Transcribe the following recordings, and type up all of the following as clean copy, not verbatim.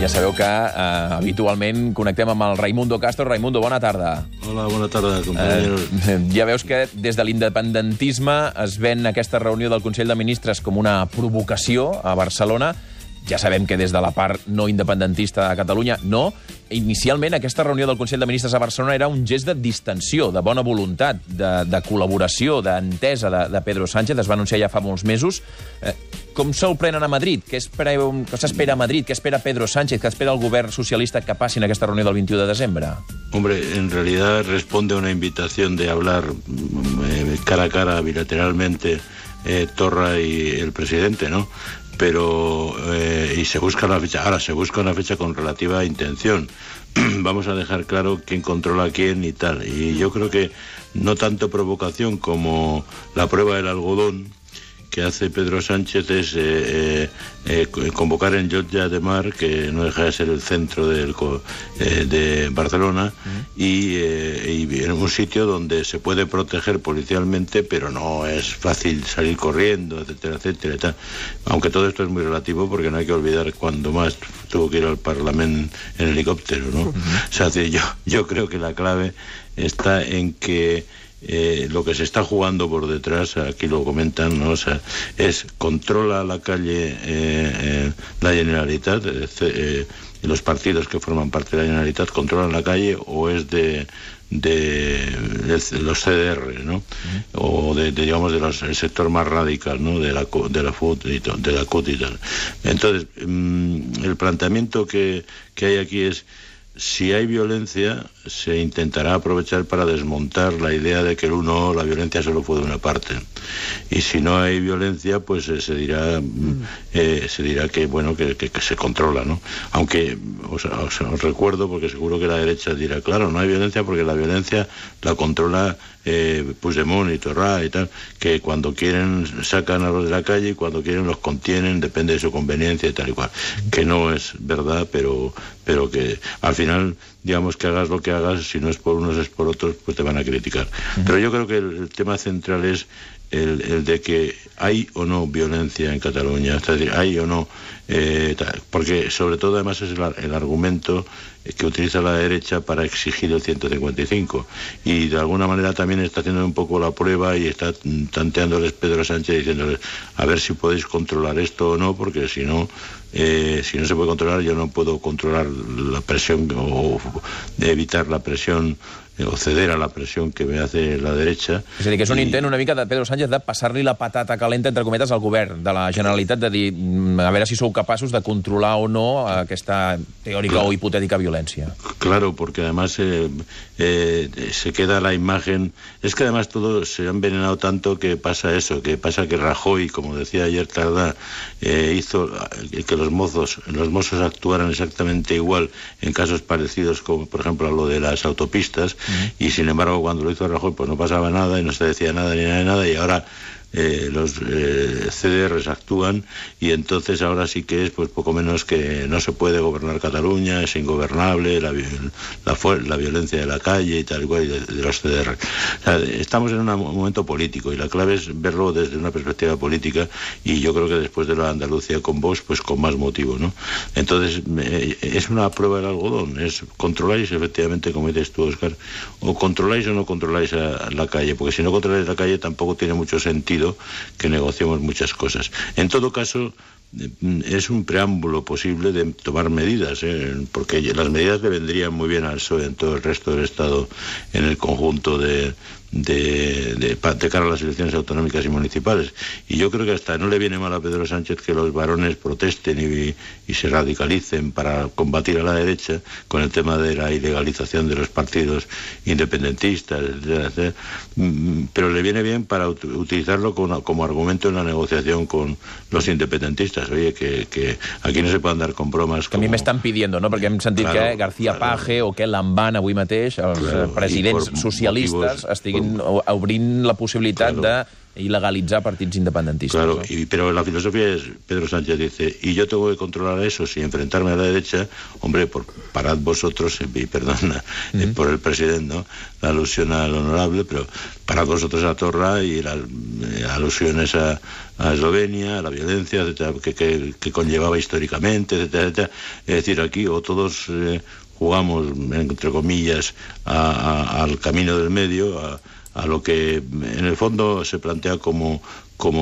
Ja sabeu que habitualment connectem amb el Raimundo Castro. Raimundo, bona tarda. Hola, bona tarda, compañeros. Ja veus que des de l'independentisme es ven aquesta reunió del Consell de Ministres com una provocació a Barcelona. Ja sabem que des de la part no independentista de Catalunya, no. Inicialment, aquesta reunió del Consell de Ministres a Barcelona era un gest de distensió, de bona voluntat, de col·laboració, d'entesa de Pedro Sánchez. Es va anunciar ja fa molts mesos. Com se'l prenen a Madrid? Què s'espera a Madrid? Què espera Pedro Sánchez? Què espera el govern socialista que passin aquesta reunió del 21 de desembre? Hombre, en realidad responde a una invitación de hablar cara a cara, bilateralmente, Torra y el presidente, ¿no? Pero y se busca una fecha. Ahora se busca una fecha con relativa intención. Vamos a dejar claro quién controla a quién y tal. Y yo creo que no tanto provocación como la prueba del algodón que hace Pedro Sánchez es convocar en Llotja de Mar, que no deja de ser el centro de Barcelona, y en un sitio donde se puede proteger policialmente, pero no es fácil salir corriendo, etcétera, etcétera, y tal. Aunque todo esto es muy relativo, porque no hay que olvidar cuando más tuvo que ir al Parlamento en helicóptero, ¿no? O sea, yo creo que la clave está en que lo que se está jugando por detrás, aquí lo comentan, ¿no? O sea, es controla la calle la Generalitat, y los partidos que forman parte de la Generalitat controlan la calle, o es de los CDR, ¿no? O digamos el sector más radical, ¿no? De la FUT y de la CUT y tal. Entonces, el planteamiento que hay aquí es: si hay violencia, se intentará aprovechar para desmontar la idea de que la violencia solo fue de una parte. Y si no hay violencia, pues se dirá que bueno, que se controla, ¿no? Aunque os recuerdo, porque seguro que la derecha dirá, claro, no hay violencia porque la violencia la controla Puigdemont y Torra y tal, que cuando quieren sacan a los de la calle y cuando quieren los contienen, depende de su conveniencia y tal y cual. Que no es verdad, pero que al final, digamos, que hagas lo que hagas, si no es por unos es por otros, pues te van a criticar. Pero yo creo que el tema central es el de que hay o no violencia en Cataluña, es decir, hay o no, porque sobre todo además es el argumento que utiliza la derecha para exigir el 155, y de alguna manera también está haciendo un poco la prueba y está tanteándoles Pedro Sánchez, diciéndoles a ver si podéis controlar esto o no, porque si no se puede controlar, yo no puedo controlar la presión o evitar la presión o ceder a la presión que me hace la derecha. És a dir, que és un intent una mica de Pedro Sánchez de passar-li la patata calenta, entre cometes, al govern de la Generalitat, de dir, a veure si sou capaços de controlar o no aquesta teòrica o hipotètica violència. Claro, porque además se queda la imagen. Es que además todo se ha envenenado tanto que pasa eso, que pasa que Rajoy, como decía ayer Tardá, hizo que los mozos actuaran exactamente igual en casos parecidos, como por ejemplo a lo de las autopistas, y sin embargo cuando lo hizo Rajoy pues no pasaba nada y no se decía nada ni nada de nada, y ahora los CDRs actúan, y entonces ahora sí que es pues poco menos que no se puede gobernar Cataluña, es ingobernable, la violencia de la calle y tal igual, y de los CDR. O sea, estamos en un momento político y la clave es verlo desde una perspectiva política, y yo creo que después de la Andalucía con Vox, pues con más motivo, ¿no? Entonces es una prueba del algodón, es controláis efectivamente, como dices tú, Óscar, o controláis o no controláis a la calle, porque si no controláis la calle tampoco tiene mucho sentido que negociemos muchas cosas. En todo caso, es un preámbulo posible de tomar medidas, porque las medidas le vendrían muy bien al PSOE en todo el resto del Estado, en el conjunto de cara a las elecciones autonómicas y municipales. Y yo creo que hasta no le viene mal a Pedro Sánchez que los varones protesten y se radicalicen para combatir a la derecha con el tema de la ilegalización de los partidos independentistas, etcétera, etcétera. Pero le viene bien para utilizarlo como argumento en la negociación con los independentistas. Oye, que aquí no se puede andar con bromas. Que a mi m'estan pidiendo, no? Perquè hem sentit que García Page o que Lamban avui mateix, els presidents socialistes, estiguin obrint la possibilitat de il·legalitzar partits independentistes. Claro, pero la filosofía es, Pedro Sánchez dice, y yo tengo que controlar eso, si enfrentarme a la derecha, hombre, parad vosotros, y perdona, por el presidente, ¿no? La alusión al honorable, pero parad vosotros a Torra y las alusiones a Eslovenia, a la violencia, etcétera, que conllevaba históricamente, etcétera, etcétera. Es decir, aquí o todos jugamos, entre comillas, al camino del medio, a lo que en el fondo se plantea como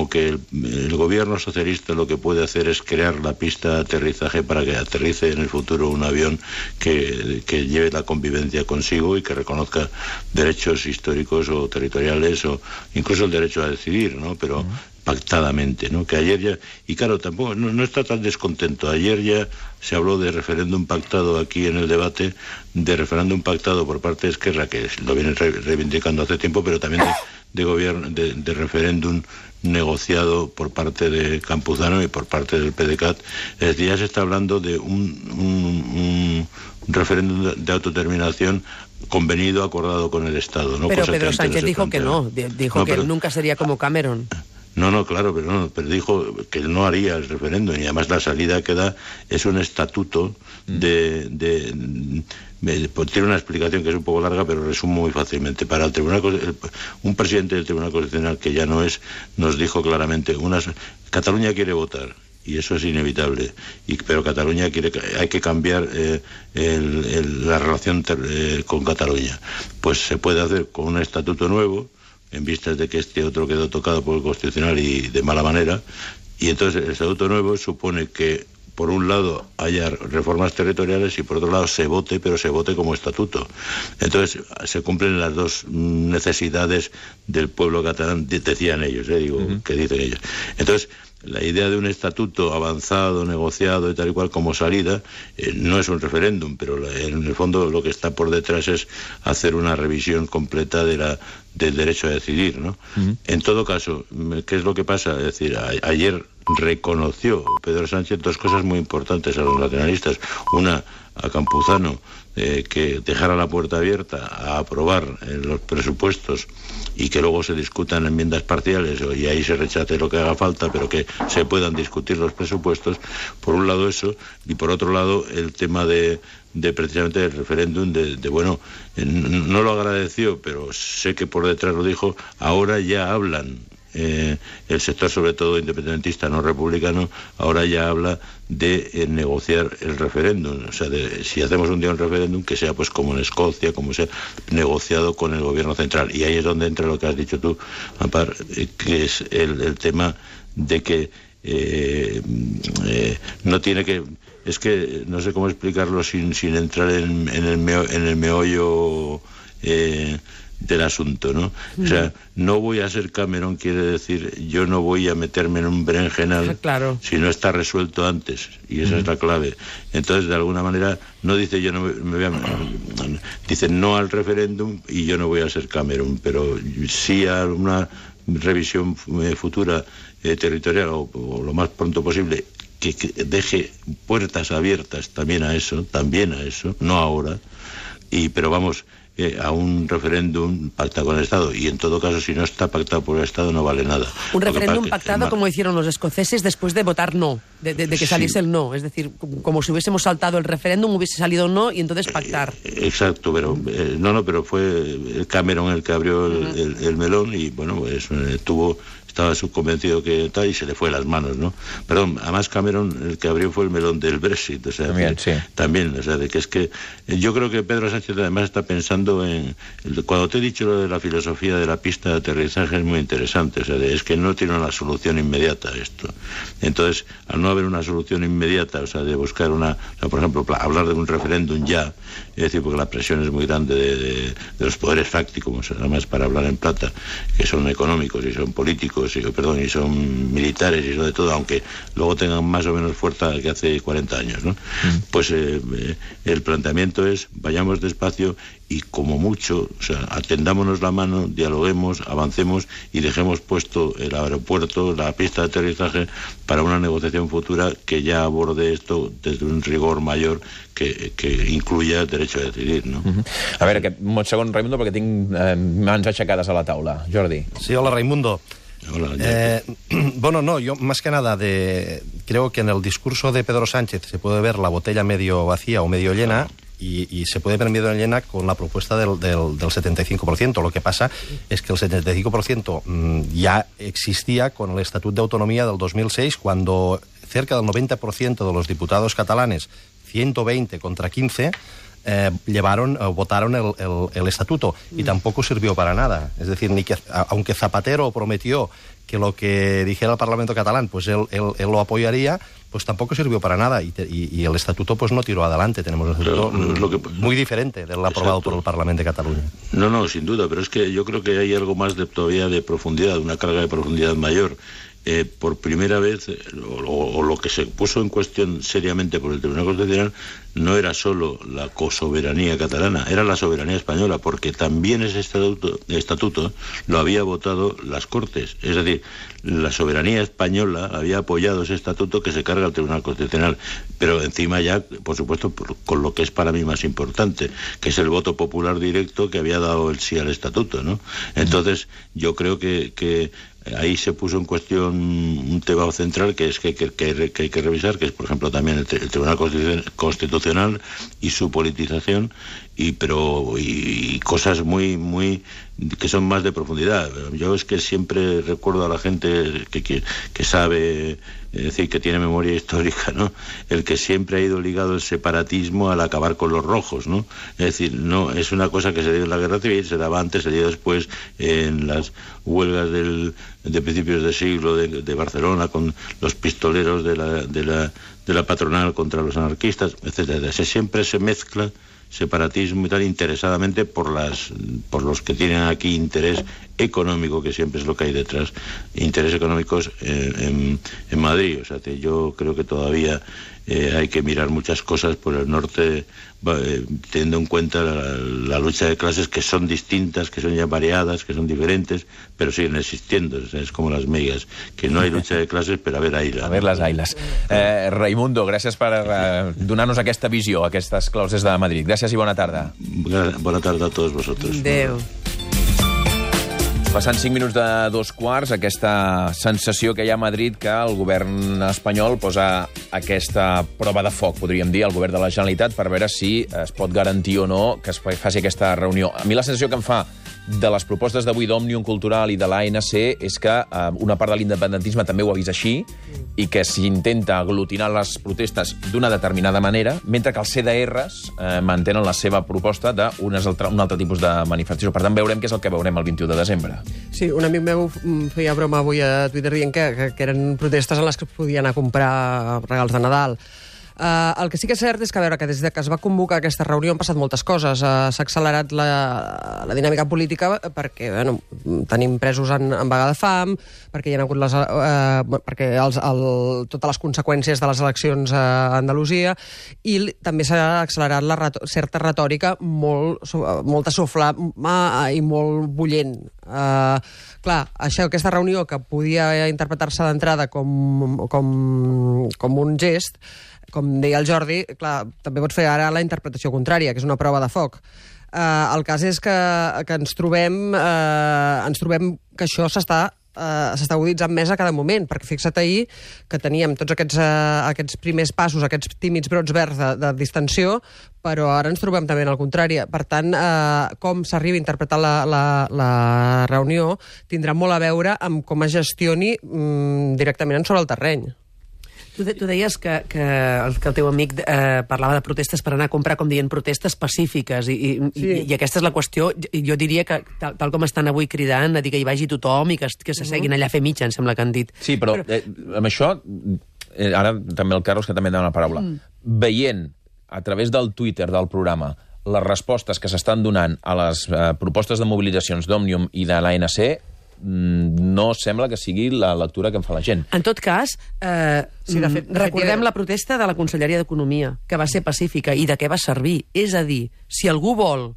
que el gobierno socialista lo que puede hacer es crear la pista de aterrizaje para que aterrice en el futuro un avión que lleve la convivencia consigo y que reconozca derechos históricos o territoriales o incluso el derecho a decidir, ¿no? Pero pactadamente, ¿no? Que ayer ya... Y claro, tampoco no está tan descontento. Ayer ya se habló de referéndum pactado aquí en el debate, de referéndum pactado por parte de Esquerra, que lo vienen reivindicando hace tiempo, pero también de gobierno, de referéndum negociado por parte de Campuzano y por parte del PDeCAT. Es decir, ya se está hablando de un referéndum de autodeterminación convenido, acordado con el Estado, ¿no? Pero Pedro Sánchez dijo que no, dijo que nunca sería como Cameron. No, claro, pero dijo que él no haría el referéndum y además la salida que da es un estatuto tiene una explicación que es un poco larga, pero resumo muy fácilmente. Para el Tribunal, un presidente del Tribunal Constitucional, que ya no es, nos dijo claramente, Cataluña quiere votar, y eso es inevitable, pero Cataluña hay que cambiar la relación con Cataluña. Pues se puede hacer con un estatuto nuevo, en vistas de que este otro quedó tocado por el Constitucional y de mala manera, y entonces el estatuto nuevo supone que por un lado haya reformas territoriales y por otro lado se vote, pero se vote como estatuto. Entonces se cumplen las dos necesidades del pueblo catalán, decían ellos, que dicen ellos. Entonces, la idea de un estatuto avanzado, negociado y tal y cual como salida, no es un referéndum, pero en el fondo lo que está por detrás es hacer una revisión completa del derecho a decidir, ¿no? En todo caso, ¿qué es lo que pasa? Es decir, ayer reconoció Pedro Sánchez dos cosas muy importantes a los nacionalistas. Una, a Campuzano, que dejara la puerta abierta a aprobar los presupuestos y que luego se discutan enmiendas parciales y ahí se rechace lo que haga falta, pero que se puedan discutir los presupuestos. Por un lado eso, y por otro lado el tema de precisamente el referéndum, no lo agradeció, pero sé que por detrás lo dijo, ahora ya hablan. El sector, sobre todo independentista, no republicano, ahora ya habla de negociar el referéndum. O sea, si hacemos un día un referéndum, que sea pues como en Escocia, como sea negociado con el gobierno central. Y ahí es donde entra lo que has dicho tú, Ampar, que es el tema de que no tiene que... Es que no sé cómo explicarlo sin entrar en el meollo del asunto, ¿no? O sea, no voy a ser Cameron, quiere decir, yo no voy a meterme en un berenjenal si no está resuelto antes, y esa es la clave. Entonces, de alguna manera, no dice yo no me voy a... Dice no al referéndum y yo no voy a ser Cameron, pero sí a una revisión futura territorial o lo más pronto posible, que deje puertas abiertas también a eso, no ahora, pero vamos... a un referéndum pactado con el Estado, y en todo caso si no está pactado por el Estado no vale nada. Un referéndum pactado como hicieron los escoceses después de votar no, de que saliese el no, es decir, como si hubiésemos saltado el referéndum, hubiese salido no y entonces pactar. Exacto, pero pero fue Cameron el que abrió el melón y bueno, pues estaba subconvencido que tal y se le fue de las manos, ¿no? Perdón, además Cameron el que abrió fue el melón del Brexit, o sea, también, o sea, de que es que yo creo que Pedro Sánchez además está pensando cuando te he dicho lo de la filosofía de la pista de aterrizaje es muy interesante, o sea, es que no tiene una solución inmediata esto. Entonces, al no haber una solución inmediata, o sea, de buscar por ejemplo, hablar de un referéndum ya, es decir, porque la presión es muy grande de los poderes fácticos, además para hablar en plata, que son económicos y son políticos, y son militares y eso de todo, aunque luego tengan más o menos fuerza que hace 40 años, ¿no? Pues el planteamiento es vayamos despacio y como mucho, o sea, atendámonos la mano, dialoguemos, avancemos y dejemos puesto el aeropuerto, la pista de aterrizaje para una negociación futura que ya aborde esto desde un rigor mayor que incluya el derecho a decidir, no? A veure, un segon, Raimundo, perquè tinc mans aixecades a la taula. Jordi. Sí, hola, Raimundo. Bueno, no, yo más que nada creo que en el discurso de Pedro Sánchez se puede ver la botella medio vacía o medio llena. Y se puede ver medio llena con la propuesta del 75%. Lo que pasa es que el 75% ya existía con el Estatut de Autonomía del 2006, cuando cerca del 90% de los diputados catalanes, 120 contra 15, votaron el estatuto, y tampoco sirvió para nada. Es decir, aunque Zapatero prometió que lo que dijera el Parlamento catalán, pues él lo apoyaría, pues tampoco sirvió para nada, y el estatuto pues no tiró adelante. Tenemos un estatuto muy diferente del aprobado por el Parlamento de Cataluña. No, sin duda, pero es que yo creo que hay algo más todavía de profundidad, una carga de profundidad mayor. Por primera vez, o lo que se puso en cuestión seriamente por el Tribunal Constitucional, no era solo la cosoberanía catalana, era la soberanía española, porque también ese estatuto lo había votado las Cortes. Es decir, la soberanía española había apoyado ese estatuto que se carga al Tribunal Constitucional, pero encima ya, por supuesto, con lo que es para mí más importante, que es el voto popular directo que había dado el sí al estatuto, ¿no? Entonces, yo creo que ahí se puso en cuestión un tema central que hay que revisar, que es, por ejemplo, también el Tribunal Constitucional y su politización, y cosas muy que son más de profundidad. Yo es que siempre recuerdo a la gente que sabe, es decir, que tiene memoria histórica, ¿no? El que siempre ha ido ligado el separatismo al acabar con los rojos, ¿no? Es decir, no es una cosa que se dio en la Guerra Civil, se daba antes, se dio después en las huelgas de principios de siglo de Barcelona, con los pistoleros de la patronal contra los anarquistas, etcétera. Siempre se mezcla separatismo y tal, interesadamente por los que tienen aquí interés económico, que siempre es lo que hay detrás, intereses económicos en Madrid. O sea, que yo creo que todavía hay que mirar muchas cosas por el norte, teniendo en cuenta la lucha de clases, que son distintas, que son ya variadas, que son diferentes, pero siguen existiendo. O sea, es como las megas, que no hay lucha de clases, però a ver ailes. A ver les ailes. Raimundo, gràcies per donar-nos aquesta visió, aquestes claus des de Madrid. Gràcies i bona tarda. Bona tarda a tots vosaltres. Adéu. Passant 5 minuts de 2:15, aquesta sensació que hi ha a Madrid que el govern espanyol posa aquesta prova de foc, podríem dir, al govern de la Generalitat, per veure si es pot garantir o no que es faci aquesta reunió. A mi la sensació que em fa de les propostes d'avui d'Òmnium Cultural i de l'ANC és que una part de l'independentisme també ho ha vist així, i que s'intenta aglutinar les protestes d'una determinada manera, mentre que els CDRs mantenen la seva proposta d'un altre tipus de manifestació. Per tant, veurem què és el que veurem el 21 de desembre. Sí, un amic meu feia broma avui a Twitter dient que eren protestes en les que es podien anar a comprar regals de Nadal. El que sí que és cert és que, a veure, que des que es va convocar aquesta reunió han passat moltes coses. S'ha accelerat la dinàmica política perquè tenim presos en vaga de fam, perquè hi ha hagut totes les conseqüències de les eleccions a Andalusia, i també s'ha accelerat certa retòrica molta soflama i molt bullent. Clar, aquesta reunió, que podia interpretar-se d'entrada com un gest, com deia el Jordi, clar, també pot fer ara la interpretació contrària, que és una prova de foc. El cas és que ens trobem que això s'està aguditzant més a cada moment, perquè fixa't ahir que teníem tots aquests primers passos, aquests tímids brots verds de distensió, però ara ens trobem també al contrari. Per tant, com s'arriba a interpretar la reunió tindrà molt a veure amb com es gestioni directament sobre el terreny. Tu deies que el teu amic parlava de protestes per anar a comprar, com dient, protestes pacífiques, i aquesta és la qüestió. Jo diria que, tal com estan avui cridant, a dir que hi vagi tothom i que s'asseguin allà a fer mitja, em sembla que han dit. Sí, però amb això, ara també el Carlos, que també demana la paraula, veient a través del Twitter del programa les respostes que s'estan donant a les propostes de mobilitzacions d'Òmnium i de l'ANC, no sembla que sigui la lectura que en fa la gent. En tot cas, recordem la protesta de la Conselleria d'Economia, que va ser pacífica, i de què va servir. És a dir, si algú vol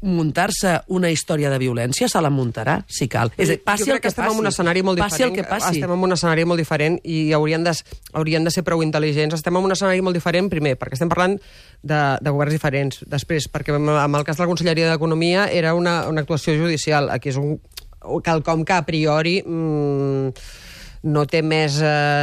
muntar-se una història de violència, se la muntarà, si cal. És a dir, passi el que passi. Estem en un escenari molt diferent. Passi el que passi. Estem en un escenari molt diferent i haurien de ser prou intel·ligents. Estem en un escenari molt diferent, primer, perquè estem parlant de governs diferents. Després, perquè en el cas de la Conselleria d'Economia era una actuació judicial. Aquí és quelcom que a priori no té més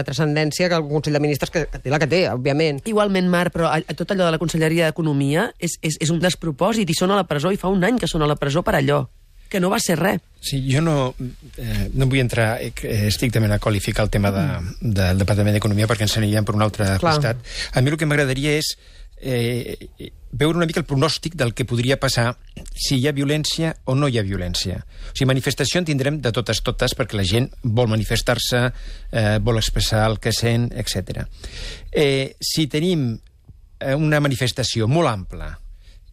transcendència que el Consell de Ministres, que té la que té, òbviament. Igualment, Marc, però tot allò de la Conselleria d'Economia és un despropòsit, i són a la presó, i fa un any que són a la presó per allò, que no va ser res. Sí, jo no vull entrar estrictament a qualificar el tema del Departament d'Economia, perquè ens aniríem per un altre costat. A mi el que m'agradaria és veure una mica el pronòstic del que podria passar si hi ha violència o no hi ha violència. O sigui, manifestació en tindrem de totes, perquè la gent vol manifestar-se, vol expressar el que sent, etc. Si tenim una manifestació molt ampla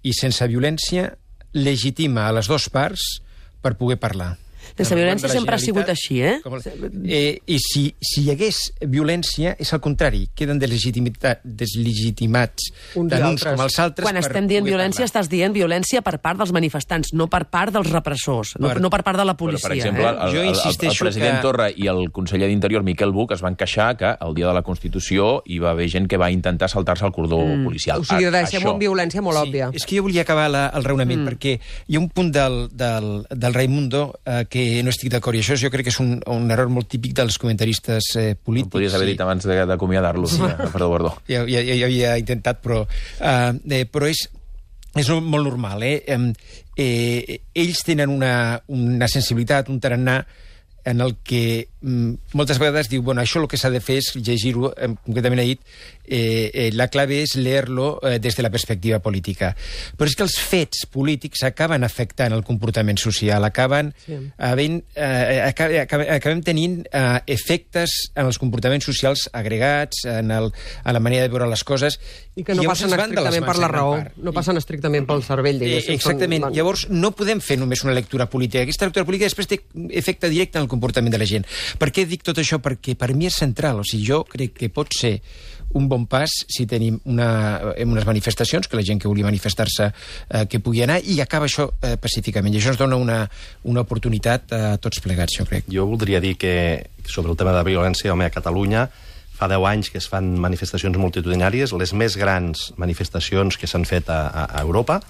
i sense violència, legitima a les dues parts per poder parlar. La violència sempre ha sigut així, I si hi hagués violència, és al contrari, queden deslegitimats tant uns com els altres. Quan estem dient violència, estàs dient violència per part dels manifestants, no per part dels repressors, no per part de la policia. Per exemple, el president Torra i el conseller d'Interior, Miquel Buch, es van queixar que el dia de la Constitució hi va haver gent que va intentar saltar-se el cordó policial. O sigui, deixem una violència molt òbvia. És que jo volia acabar el raonament, perquè hi ha un punt del Raimundo que no estic d'acord, i això jo crec que és un error molt típic dels comentaristes polítics. Ho podries haver dit abans d'acomiadar-lo. Perdó. Ja havia intentat, però és molt normal. Ells tenen una sensibilitat, un tarannà, en el que moltes vegades diu, bueno, això el que s'ha de fer és llegir-ho, concretament ha dit, la clave és leer-lo des de la perspectiva política. Però és que els fets polítics acaben afectant el comportament social, acabem tenint efectes en els comportaments socials agregats, en la manera de veure les coses. I que no passen estrictament per la raó, no passen estrictament pel cervell, diguéssim. Exactament. Llavors, no podem fer només una lectura política. Aquesta lectura política després té efecte directe en el comportament de la gent. Per què dic tot això? Perquè per mi és central. O sigui, jo crec que pot ser un bon pas si tenim unes manifestacions, que la gent que vulgui manifestar-se que pugui anar, i acaba això pacíficament. I això ens dona una oportunitat a tots plegats, jo crec. Jo voldria dir que sobre el tema de violència, home, a Catalunya fa 10 anys que es fan manifestacions multitudinàries, les més grans manifestacions que s'han fet a Europa,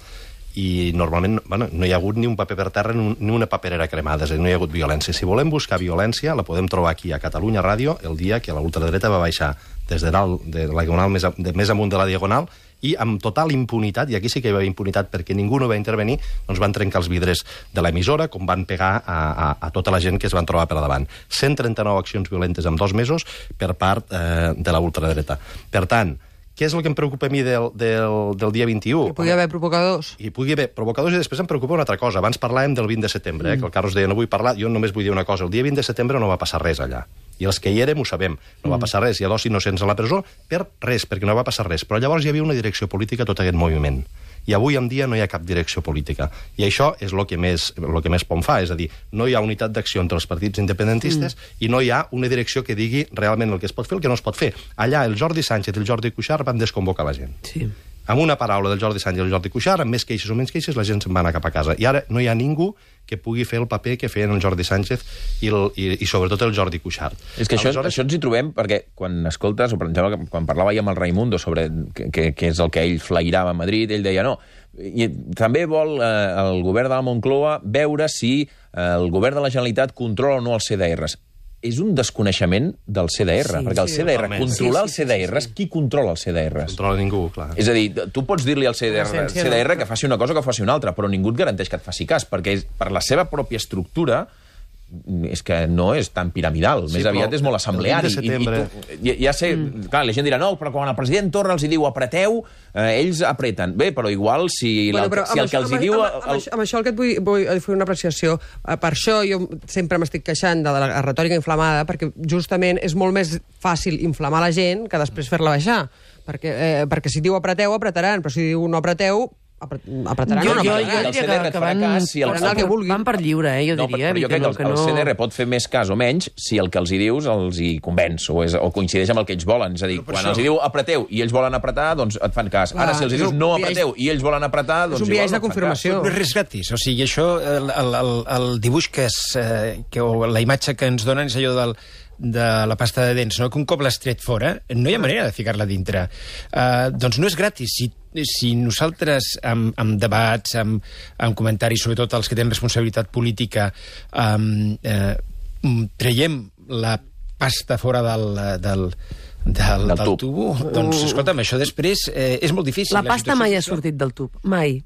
i normalment no hi ha hagut ni un paper per terra ni una paperera cremada, és a dir, no hi ha hagut violència. Si volem buscar violència, la podem trobar aquí a Catalunya Ràdio el dia que la ultradreta va baixar des de dalt de la diagonal més amunt de la diagonal, i amb total impunitat, i aquí sí que hi va haver impunitat perquè ningú no va intervenir, doncs van trencar els vidres de l'emissora, com van pegar a tota la gent que es van trobar per davant. 139 accions violentes en 2 mesos per part de la ultradreta. Per tant, què és el que em preocupa a mi del dia 21? Hi pugui haver provocadors. Hi pugui haver provocadors, i després em preocupa una altra cosa. Abans parlàvem del 20 de setembre, que el Carlos deia, no vull parlar, jo només vull dir una cosa. El dia 20 de setembre no va passar res allà. I els que hi érem ho sabem. No va passar res. Hi ha 2 innocents a la presó per res, perquè no va passar res. Però llavors hi havia una direcció política a tot aquest moviment. I avui en dia no hi ha cap direcció política. I això és el que més por em fa, és a dir, no hi ha unitat d'acció entre els partits independentistes i no hi ha una direcció que digui realment el que es pot fer i el que no es pot fer. Allà el Jordi Sánchez i el Jordi Cuixart van desconvocar la gent. Sí. Amb una paraula del Jordi Sánchez i el Jordi Cuixart, amb més queixes o menys queixes, la gent se'n va anar cap a casa. I ara no hi ha ningú que pugui fer el paper que feien el Jordi Sánchez i sobretot el Jordi Cuixart. És que això ens hi trobem, perquè quan escoltes, o per exemple, quan parlava ja amb el Raimundo sobre què és el que ell flairava a Madrid, ell deia no, i també vol el govern de la Moncloa veure si el govern de la Generalitat controla o no els CDRs. És un desconeixement del CDR, perquè el CDR, controlar els CDRs, qui controla els CDRs? Controla ningú, clar. És a dir, tu pots dir-li al CDR que faci una cosa o que faci una altra, però ningú et garanteix que et faci cas, perquè per la seva pròpia estructura és que no és tan piramidal, més aviat és molt assembleari. Ja sé, clar, la gent dirà, no, però quan el president Torra els hi diu apreteu, ells apreten. Bé, però igual si el que els hi diu... Amb això el que et vull fer una apreciació. Per això jo sempre m'estic queixant de la retòrica inflamada, perquè justament és molt més fàcil inflamar la gent que després fer-la baixar. Perquè si diu apreteu, apretaran, però si diu no apreteu, apretaran o no apretaran. El CDR et farà cas si van per lliure, jo diria. Però jo crec que el CDR pot fer més cas o menys si el que els hi dius els hi convenç o coincideix amb el que ells volen. És a dir, quan els hi diu apreteu i ells volen apretar, doncs et fan cas. Ara, si els hi dius no apreteu i ells volen apretar, doncs és un biaix de confirmació. No és res gratis. O sigui, això, el dibuix o la imatge que ens donen és allò de la pasta de dents, no? Que un cop l'has tret fora, no hi ha manera de ficar-la dintre. Doncs no és gratis. Si nosaltres, amb debats, amb comentaris, sobretot els que tenen responsabilitat política, traiem la pasta fora del tubo, doncs, escolta'm, això després és molt difícil. La pasta mai ha sortit del tub. Mai.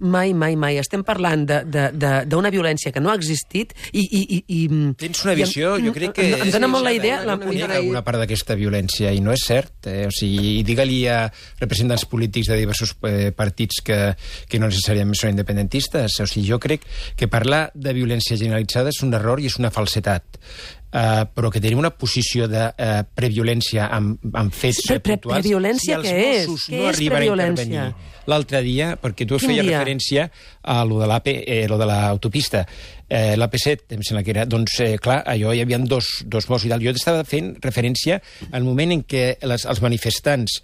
Estem parlant d'una violència que no ha existit i tens una visió, jo crec que... Em dóna molt la idea... Una part d'aquesta violència, i no és cert. O sigui, digue-li a representants polítics de diversos partits que no necessàriament són independentistes. O sigui, jo crec que parlar de violència generalitzada és un error i és una falsetat. Però que tenim una posició de previolència amb fets puntuals. Previolència què és? Si els Mossos no arriben a intervenir l'altre dia, perquè tu feies referència a lo de l'autopista, l'AP7, em sembla que era, doncs, clar, allò hi havia dos morts i tal. Jo estava fent referència al moment en què els manifestants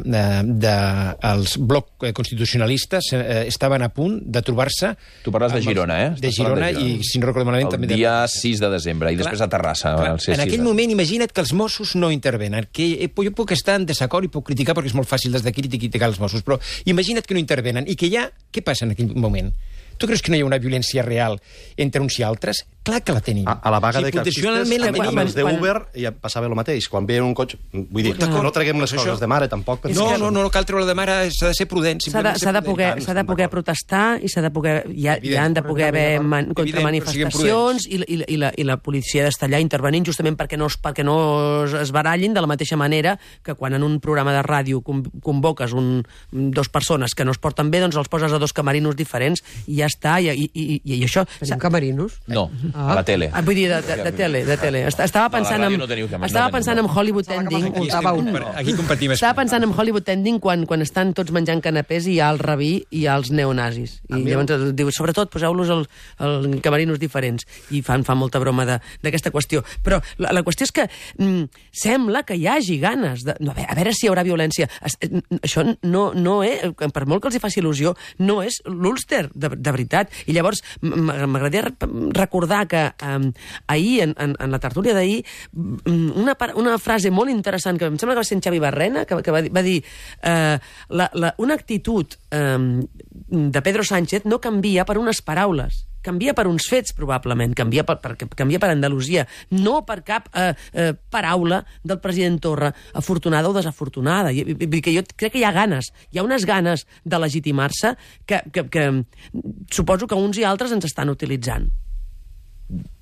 dels blocs constitucionalistes estaven a punt de trobar-se... Tu parles de Girona, De Girona, i si no recordo malament... El dia 6 de desembre, i després a Terrassa. En aquell moment, imagina't que els Mossos no intervenen, que jo puc estar en desacord i puc criticar perquè és molt fàcil des d'aquí criticar els Mossos, però imagina't que no intervenen i que què passa en aquell moment? Tu creus que no hi ha una violència real entre uns i altres? Clar que la tenim. A la vaga de taxistes, amb els d'Uber ja passava el mateix. Quan veien un cotxe... Vull dir, no traguem les coses de mare, tampoc. No cal treure de mare, s'ha de ser prudent. S'ha de poder protestar i s'ha de poder... Hi han de poder haver contramanifestacions i la policia ha d'estar allà intervenint justament perquè no es barallin, de la mateixa manera que quan en un programa de ràdio convoques dos persones que no es porten bé, doncs els poses a dos camerinos diferents i ja està. I això... Tenim camerinos? No. A la tele. Vull dir, de tele. Estava pensant en Hollywood Ending. Aquí compartim. Estava pensant en Hollywood Ending quan estan tots menjant canapés i hi ha el rabí i hi ha els neonazis. I llavors diu, sobretot, poseu-los els camerinos diferents. I fan molta broma d'aquesta qüestió. Però la qüestió és que sembla que hi hagi ganes de... A veure si hi haurà violència. Això no és... Per molt que els hi faci il·lusió, no és l'Ulster, de veritat. I llavors m'agradaria recordar que ahir, en la tertúlia d'ahir, una frase molt interessant, que em sembla que va ser en Xavi Barrena, que va dir una actitud de Pedro Sánchez no canvia per unes paraules, canvia per uns fets, probablement, canvia per Andalusia, no per cap paraula del president Torra, afortunada o desafortunada. Que jo crec que hi ha ganes, hi ha unes ganes de legitimar-se que suposo que uns i altres ens estan utilitzant.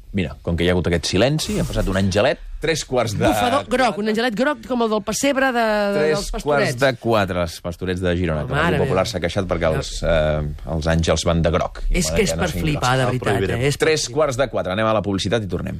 Mira, com que hi ha hagut aquest silenci, ha passat un angelet, 3/4 de... Bufador groc, un angelet groc com el del pessebre dels pastorets. 3/4, els pastorets de Girona, que el Popular s'ha queixat perquè els àngels van de groc. És que és per flipar, de veritat. 3/4, anem a la publicitat i tornem.